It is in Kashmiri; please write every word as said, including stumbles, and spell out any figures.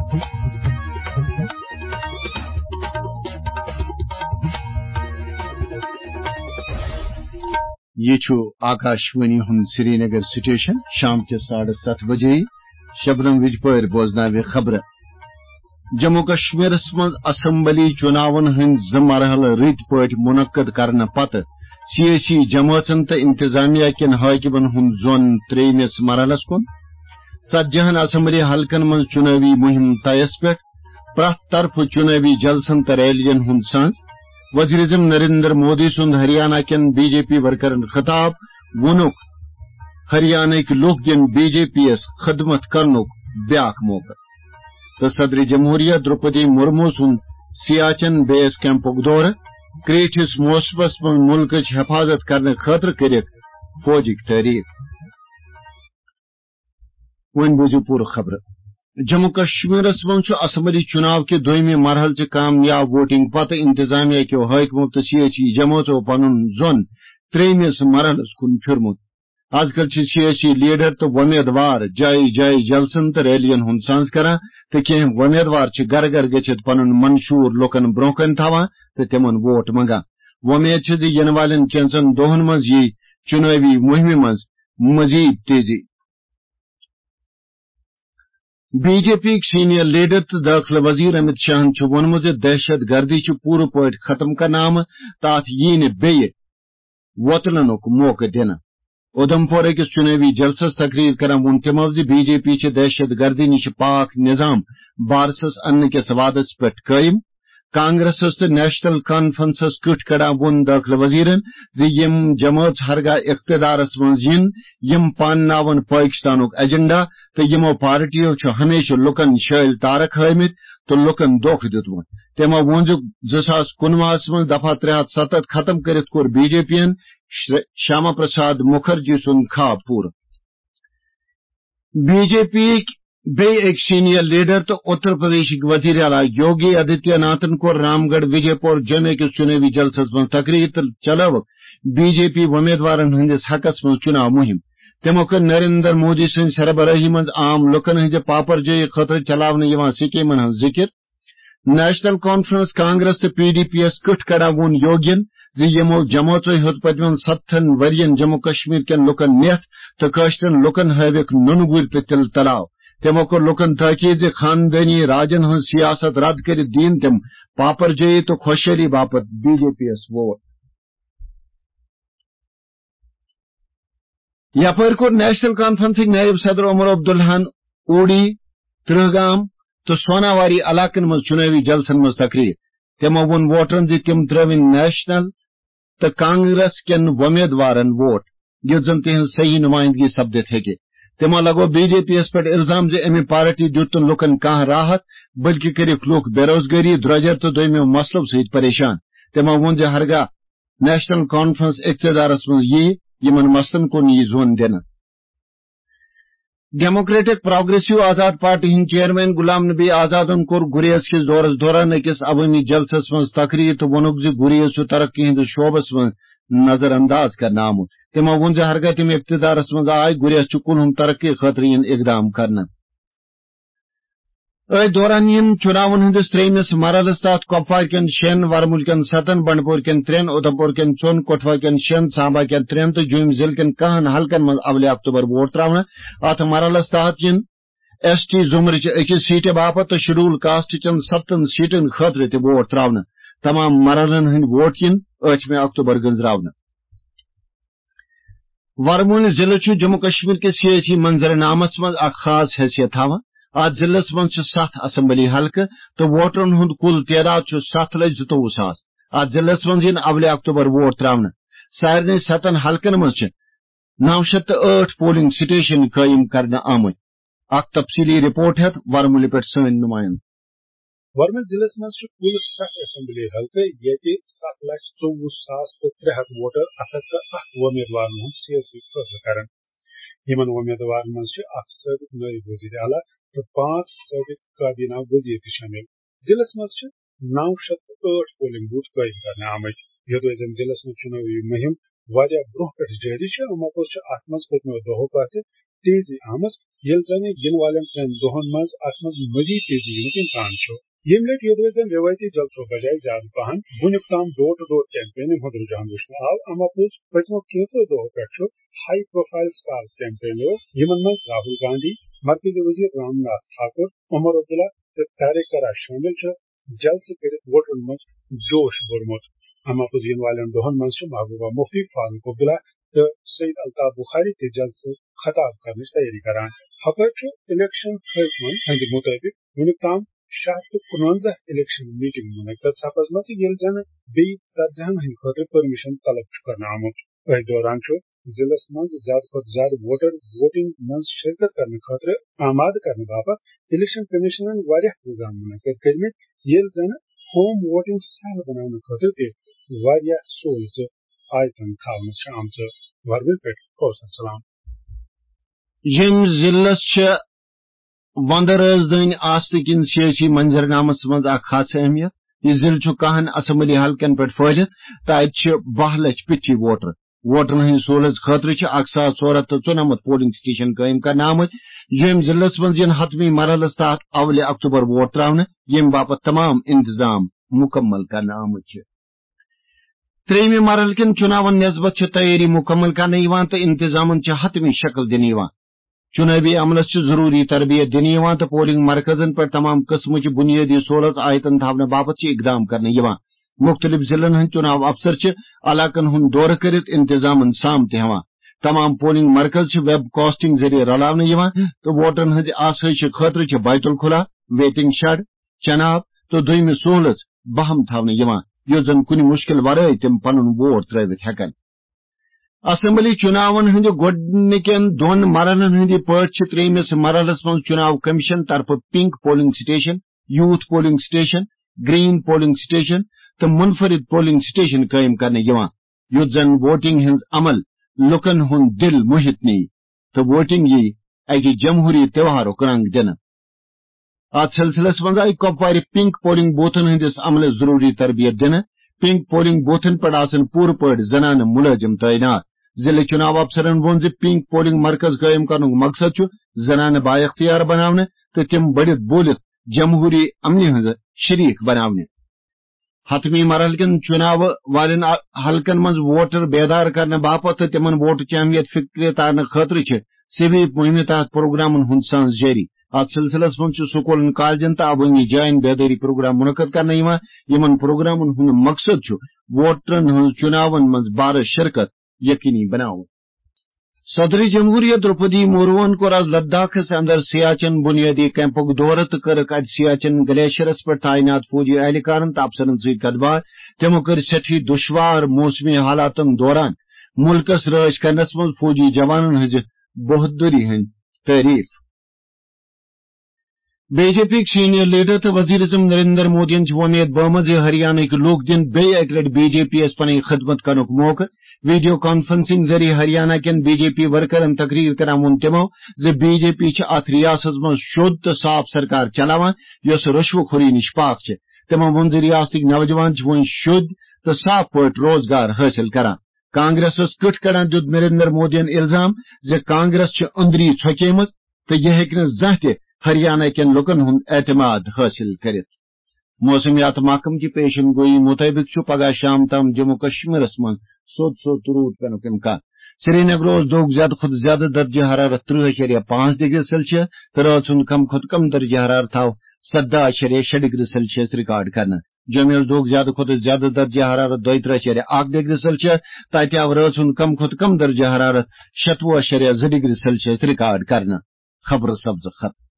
یہِ چھُ آکاشوانی ہُنٛد سرینگر سٹیشن۔ شام چہِ ساڑٕ ستھ بجے شبنم وِجپٲرۍ بوزناوِ خبرٕ۔ جموں کشمیرس منٛز اسمبلی چُناون ہٕنٛدۍ زٕ مرحلہٕ رٕتۍ پٲٹھۍ منعقد کرنہٕ پتہٕ سیٲسی جمٲژن تہٕ انتظامیہ کٮ۪ن حٲکمن ہُنٛد ظۄن ترٛیٚیمِس مرحلس کُن۔ ژتجی ہن اسمبلی حلقن منٛز چُنٲوی مُہِم طیس پٮ۪ٹھ، پرٛٮ۪تھ طرفہٕ چُنٲوی جلسن تہٕ ریلین ہُنٛد سانز۔ وزیر اعظم نریندر مودی سُنٛد ہریانہ کٮ۪ن بی جے پی ورکرن خطاب، ووٚنُکھ، ہریانٕکۍ لوٗکھ دِن بی جے پی یَس خدمت کرنُک بیاکھ موقعہٕ۔ تہٕ صدر جمہوریہ درٛوپدی مرمو سُنٛد سیاچن بیس کیمپُک دورٕ، کرٛیٖٹھِس موسمس منٛز مُلکٕچ حفاظت کرنہٕ خٲطرٕ کٔرِکھ فوجٕکۍ تعریٖف۔ وۄنۍ بوٗزِو پوٗرٕ خبرٕ۔ جموں کشمیرس منٛز چھُ اسمبلی چُناو کہِ دوٚیمہِ مرحلہٕ چہِ کامیاب ووٹنگ پتہٕ انتظامیہ کیو حٲکمو تہٕ سیٲسی جمٲژو پنُن ظۄن ترٛیٚیمِس مرحلس کُن پھِرمُت۔ از کل چھِ سیٲسی لیڈر تہٕ وۄمیدوار جایہِ جایہِ جلسن تہٕ ریلین ہُنٛد سانز کران تہٕ کینٛہہ وۄمیدوار چھِ گرٕ گرٕ گٔژھِتھ پنُن منشور لوٗکن برٛونٛہہ کنہِ تھاوان تہٕ تِمن ووٹ منٛگان۔ وۄمید چھِ زِ یِنہٕ والٮ۪ن کینٛژن دۄہن منٛز یِیہِ چُنٲوی مُہِمہِ منٛز مزید تیزی۔ بی جے پی یِکۍ سینئر لیڈر تہٕ دٲخلہٕ وزیر امت شاہن چھُ ووٚنمُت زِ دہشت گردی چھِ پوٗرٕ پٲٹھۍ ختم کرنہٕ آمٕژ تہٕ اتھ یِیہِ نہٕ بیٚیہِ وۄتلنُک موقعہٕ دِنہٕ۔ اُدھم پور أکِس چُنٲوی جلسس تقریر کران ووٚن تِمو زِ بی جے پی چھِ دہشت گردی نِش پاک نظام بارسس اننہٕ کِس وعدس پٮ۪ٹھ قٲیِم۔ کانگریسس تہٕ نیشنل کانفرنسس کِٹھ کڑان ووٚن دٲخلہٕ وزیرن زِ یِم جمٲژ ہرگاہ اقتدارس منٛز یِن، یِم پانناون پٲکستانُک ایجنڈا تہٕ یِمو پارٹیو چھُ ہمیشہٕ لُکن شٲلۍ تارک ہٲومٕتۍ تہٕ لُکن دھوکہٕ دیُتمُت۔ تِمو ووٚن زِ زٕ ساس کُنوُہس منٛز دفعہ ترٛےٚ ہتھ ستتھ ختم کٔرِتھ کوٚر بی جے پی ین شر-، شیاما پرساد مُکھرجی سُنٛد خواب پوٗرٕ۔ بی جے پی یِکۍ بیٚیہِ أکۍ سینئر لیڈر تہٕ اُتر پردیشٕکۍ وزیر اعلیٰ یوگی آدتیہ ناتھن کوٚر رام گڑھ وجے پور جمعہ کِس چُنٲوی جلسس منٛز تقریر تہٕ چلٲوٕکھ بی جے پی وۄمیدوارن ہٕنٛدِس حقس منٛز چُناو مُہِم۔ تِمو کٔر نریندر مودی سٕنٛزِ سربرٲہی منٛز عام لوٗکن ہٕنٛزِ پاپرجٲیی خٲطرٕ چلاونہٕ یِوان سکیمن ہٕنٛز ذِکِر۔ نیشنل کانفرنس، کانگریس تہٕ پی ڈی پی یَس کِٹھ کڑان ووٚن یوگین زِ یِمو جمٲژو ہیوٚت پٔتمٮ۪ن ستتھن ؤرین جموں کشمیر کٮ۪ن لوٗکن نِتھ تہٕ کٲشرٮ۪ن لوٗکن ہٲوِکھ نُنہٕ گُرۍ تہٕ تِلہٕ تلاو۔ تِمو کوٚر لوٗکن تاکید زِ خاندٲنی راجن ہٕنٛز سیاست رد کٔرِتھ دِیِن تِم پاپرجٲیی تہٕ خۄشحٲلی باپتھ بی جے پی یَس ووٹ۔ یپٲرۍ کوٚر نیشنل کانفرنسٕکۍ نٲیِب صدر عمر عبداللہن اوڈی، ترٛہ گام تہٕ سوناواری علاقن منٛز چُنٲوی جلسن منٛز تقریر۔ تِمو ووٚن ووٹرن زِ تِم ترٲوِن نیشنل تہٕ کانگریس کٮ۪ن وۄمیدوارن ووٹ، یُتھ زن تِہنٛز صحیح نمائندگی سپدِتھ ہیٚکہِ۔ تِمو لگوو بی جے پی یَس پٮ۪ٹھ الزام زِ اَمہِ پارٹی دیُت نہٕ لوٗکن کانٛہہ راحت، بلکہِ کٔرِکھ لوٗکھ بے روزگٲری، درٛۄجر تہٕ دوٚیمٮ۪و مسلو سۭتۍ پریشان۔ تِمو ووٚن زِ ہرگاہ نیشنل کانفرنس اقتدارس منٛز یِیہِ، یِمن مسلن کُن یِیہِ ظۄن دِنہٕ۔ ڈیموکریٹک پروگریسو آزاد پارٹی ہٕنٛدۍ چیئرمین غلام نبی آزادن کوٚر گریز کِس دورس دوران أکِس عوٲمی جلسس منٛز تقریر تہٕ ووٚنُکھ زِ گریز چھُ ترقی ہٕنٛدِس شعبس منٛز نظر انداز کرنہٕ آمُت۔ تِمو ووٚن زِ ہرگاہ تِم اقتدارس منٛز آے، گریز چھُ کُلہُم ترقی خٲطرٕ یِن اقدام کرنہٕ۔ أتھۍ دوران یِن چُناون ہٕنٛدِس ترٛیٚیمِس مرحلَس تحت کۄپوارِ کٮ۪ن شٮ۪ن، ورمُلہِ کٮ۪ن ستن، بنڈپورِ کٮ۪ن ترٛٮ۪ن، اُدھمپور کٮ۪ن ژۄن، کٹھوا کٮ۪ن شٮ۪ن، سامبا کٮ۪ن ترٛٮ۪ن تہٕ جوٚمۍ ضلعہٕ کٮ۪ن کاہن حلقن منٛز اولہِ اکتوبر ووٹ تراونہٕ۔ اَتھ مرحلَس تحت یِن ایس ٹی زمرٕچہِ أکِس سیٹہِ باپتھ تہٕ شیڈول کاسٹ چٮ۪ن ستن سیٹن خٲطرٕ تہِ ووٹ تراونہٕ۔ تمام مرحلن ہٕنٛدۍ ووٹ یِن ٲٹھمہِ اکتوبر گٔنزراونہٕ۔ ورمُلہِ ضلعہٕ چھُ جموں کشمیر کِس سیٲسی منظرنامس منٛز اکھ خاص حیثیت تھاوان۔ اتھ ضلعس منٛز چھِ ستھ اسمبلی حلقہٕ تہٕ ووٹرن ہُنٛد کُل تعداد چھُ ستھ لچھ زٕتووُہ ساس۔ اتھ ضلعس منٛز یِن اولہِ اکتوبر ووٹ تراونہٕ۔ سارنٕے ستن حلقن منٛز چھِ نو شیٚتھ تہٕ ٲٹھ پولنگ سٹیشن قٲیِم کرنہٕ آمٕتۍ۔ اکھ تفصیلی رپورٹ ہیتھ ورمُلہِ پٮ۪ٹھ سٲنۍ نمایندٕ۔ ورمُلہِ ضلعس منٛز چھِ کُل ستھ اسمبلی حلقہٕ، ییٚتہِ ستھ لچھ ژوٚوُہ ساس تہٕ ترٛےٚ ہتھ ووٹر اکھ ہتھ تہٕ اکھ وۄمیدوارن ہُنٛد سیٲسی فٲصلہٕ کرن۔ یِمن وۄمیدوارن منٛز چھِ اکھ سٲبق نٲیِب وزیر اعلیٰ تہٕ پانٛژھ سٲبق کابینہ وزیر تہِ شٲمِل۔ ضلعس منٛز چھِ نو شیٚتھ تہٕ ٲٹھ پولنگ بوتھ قٲیِم کرنہٕ آمٕتۍ، یوٚدوے زن ضلعس منٛز چُنٲوی مُہِم واریاہ برونٛہہ پٮ۪ٹھ جٲری چھِ، اَمہِ پوٚز چھِ اَتھ منٛز پٔتمیو دۄہو پٮ۪ٹھ تیزی آمٕژ، ییٚلہِ زَن یِنہٕ والٮ۪ن ترٛٮ۪ن دۄہَن منٛز اَتھ منٛز مٔزیٖد تیزی یِنُک اِمکان چھُ۔ ییٚمہِ لَٹہِ یوٚدوَے زَن رٮ۪وٲیتی جلسو بجایہِ زیادٕ پَہَن وُنیُک تام ڈور ٹو ڈور کیمپینہِ ہُنٛد رُجحان وٕچھنہٕ آو، اَمہِ پوٚز پٔتمیو کینٛژو دۄہو پٮ۪ٹھ چھُ ہائی پروفائل سٹار کیمپینو، یِمَن منٛز راہل گاندھی، مرکزی وزیر رام ناتھ ٹھاکر، عمر عبداللہ تہٕ طارق کرا شٲمِل چھِ، جلسہٕ کٔرِتھ ووٹرَن منٛز جوش بوٚرمُت۔ اَمہِ پوٚز یِنہٕ والٮ۪ن دۄہَن منٛز چھِ محبوبہ مفتی، فاروق عبداللہ تہٕ سید الطاف بخاری تہِ جلسہٕ خطاب کرنٕچ تیٲری کران۔ ہپٲرۍ چھُ الیکشن حٲکمَن ہٕنٛدِ مُطٲبِق وُنیُک تام شےٚ ہَتھ تہٕ کُنوَنزاہ الیکشن میٹنگ منعقد سپزمژٕ، ییٚلہِ زَن بیٚیہِ ژتجی ہن ہٕنٛدِ خٲطرٕ پرمیشن طلب چھُ کرنہٕ آمُت۔ أتھۍ دوران چھُ ضلعس منٛز زیادٕ کھۄتہٕ زیادٕ ووٹر ووٹنگ منٛز شرکت کرنہٕ خٲطرٕ آمادٕ کرنہٕ باپتھ الیکشن کمیشنن واریاہ پروگرام منعقد کٔرمٕتۍ، ییٚلہِ زَن ہوم ووٹنگ سہل بناونہٕ خٲطرٕ تہِ واریاہ سہولژٕ آیتن تھاونہٕ چھِ آمژٕ۔ ورمِل پٮ۪ٹھ کوثر سلام۔ ییٚمہِ ضلعس چھِ وندٕ رٲژدٲنۍ آستہٕ کِنۍ سیٲسی منظرنامس منٛز اکھ خاص اہمیت۔ یہِ ضلعہٕ چھُ کاہن اسمبلی حلقن پٮ۪ٹھ پھٲلِتھ تہٕ اتہِ چھِ باہ لچھ پِٹھی ووٹر۔ ووٹرن ہٕنٛدِ سہوٗلژ خٲطرٕ چھِ اکھ ساس ژور ہتھ تہٕ ژُنمتھ پولنگ سٹیشن قٲیِم کرنہٕ آمٕتۍ، ییٚمہِ ضلعس منٛز یِن حتمی مرحلس تحت اولِ اکتوبر ووٹ تراونہٕ، ییٚمہِ باپتھ تمام انتظام مُکمل کرنہٕ آمٕتۍ چھِ۔ ترٛیٚیِمہِ مرحلہٕ کٮ۪ن چُناون نسبت چھِ تیٲری مُکمل کرنہٕ یِوان تہٕ انتظامن چھِ حتمی شکل دِنہٕ یِوان۔ چُنٲوی عملس چھِ ضروٗری تربیت دِنہٕ یِوان تہٕ پولنگ مرکزن پٮ۪ٹھ تمام قٕسمٕچہِ بُنیٲدی سہوٗلژ آیتن تھاونہٕ باپتھ چھِ اقدام کرنہٕ یِوان۔ مُختٔلِف ضلعن ہٕنٛدۍ چُناو افسر چھِ علاقن ہُنٛد دورٕ کٔرِتھ انتظامن سام تہِ ہٮ۪وان۔ تمام پولنگ مرکز چھِ ویب کاسٹنگ ذٔریعہٕ رلاونہٕ یِوان تہٕ ووٹرن ہٕنٛزِ آسٲیشہِ خٲطرٕ چھِ بیت الخلا، ویٹنگ شیڈ، چناب تہٕ دوٚیمہِ سہوٗلژ بہم تھاونہٕ یِوان، یُتھ زن کُنہِ مُشکِل ورٲے تِم پنُن ووٹ ترٲوِتھ ہٮ۪کن۔ اسمبلی چُناون ہٕنٛدِ گۄڈٕنِکٮ۪ن دۄن مرحلن ہٕنٛدِ پٲٹھۍ چھِ ترٛیٚیمِس مرحلس منٛز چُناو کمیشن طرفہٕ pink polling station, youth polling station, green polling station تہٕ منفرد پولنگ سٹیشن قٲیِم کرنہٕ یِوان، یُتھ زن ووٹنگ ہٕنٛز عمل لوٗکن ہُنٛد دِل موہِتھ نِیہِ تہٕ ووٹنگ یِیہِ اکہِ جمہوری تہوارُک رنگ دِنہٕ۔ اتھ سلسلس منٛز آیہِ کۄپوارِ پنک پولنگ بوتھن ہٕنٛدِس عملس ضروٗری تربیت دِنہٕ۔ پنک پولنگ بوتھن پٮ۪ٹھ آسن پوٗرٕ پٲٹھۍ زنانہٕ مُلٲزِم تعینات۔ ضلعہٕ چُناو افسرن ووٚن زِ پنک پولنگ مرکز قٲیِم کرنُک مقصد چھُ زنانہٕ بااختیار بناونہٕ تہٕ تِم بٔڑِتھ بوٗلِتھ جمہوری عملہِ ہٕنٛز شریک بناونہٕ۔ حتمی مرحلہٕ کٮ۪ن چُناوٕ والٮ۪ن ع-، حلقن منٛز ووٹر بیدار کرنہٕ باپتھ تہٕ تِمن ووٹہٕ چہِ اہمیت فکرِ تارنہٕ خٲطرٕ چھِ سویپ مُہِمہِ تحت پروگرامن ہُنٛد سانز جٲری۔ اتھ سلسلس منٛز چھُ سکوٗلن، کالجن تہٕ عوٲمی جاین بیدٲری پروگرام منعقد کرنہٕ یِوان۔ یِمن پروگرامن ہُنٛد مقصد چھُ ووٹرن ہٕنٛز چُناون منٛز بارٕ شرکت یقینی بناوُن۔ صدر جمہوریہ درپدی مورموہن کوٚر آز لداخس اندر سیاچن بنیٲدی کیمپُک دورٕ تہٕ کٔرٕکھ اتہِ سیاچن گلیشیرس پٮ۪ٹھ تعینات فوجی اہلکارن تہٕ افسرن سۭتۍ کتھ باتھ۔ تِمو کٔر سٮ۪ٹھٕے دُشوار موسمی حالاتن دوران مُلکس رٲچھ کرنس منٛز فوجی جوانن ہٕنٛزِ بہادری ہٕنٛز تعریف۔ بی جے پی یِکۍ سینئر لیڈر تہٕ وزیر اعظم نریندر مودیَن چھِ وۄمید بٲومٕژ زِ ہریانٕکۍ لوٗکھ دِن بیٚیہِ اَکہِ لَٹہِ بی جے پی یَس پنٕنۍ خدمت کرنُک موقعہٕ۔ ویڈیو کانفرنسنگ ذٔریعہٕ ہریانہ کٮ۪ن بی جے پی ورکرَن تقریر کران ووٚن تِمَو زِ بی جے پی چھِ اَتھ ریاستَس منٛز شوٚد تہٕ صاف سرکار چلاوان، یۄس رشوٕ خوری نِش پاک چھِ۔ تِمَو ووٚن زِ ریاستٕکۍ نوجوان چھِ وۄنۍ شوٚد تہٕ صاف پٲٹھۍ روزگار حٲصِل کران۔ کانگریسَس کٕٹھ کڑان دیُت نریندر مودیَن الزام زِ کانگریس چھِ أنٛدری ژھۄکیمٕژ تہٕ یہِ ہیٚکہِ نہٕ زانٛہہ تہِ ہریانہ کٮ۪ن لوٗکَن ہُنٛد اعتماد حٲصِل کٔرِتھ۔ موسمیات محکمہٕ کہِ پیشن گوئی مُطٲبِق چھُ پگاہ شام تام جموں کشمیرَس منٛز سوٚت سوٚت روٗد پٮ۪نُک اِمکان۔ سرینگرٕ اوس دۄہُک زیادٕ کھۄتہٕ زیادٕ درجہ حرارت ترٕٛہ اَشاریہ پانٛژھ ڈگری سیلسیس تہٕ رٲژ ہُنٛد کم کھۄتہٕ کم درجہ حرارت آو سداہ اَشاریہ شےٚ ڈگری سیلسیس ریکارڈ کرنہٕ۔ جوٚمہِ اوس دۄہُک زیادٕ کھۄتہٕ زیادٕ درجہ حرارت دۄیہِ ترٕٛہ اَشاریہ اَکھ ڈگری سیلسیس تہٕ اَتہِ آو رٲژ ہُنٛد کم کھۄتہٕ کم درجہ حرارت شتوُہ اَشاریہ زٕ ڈگری سیلسیس ریکارڈ کرنہٕ۔ خبرٕ سبزٕ ختم۔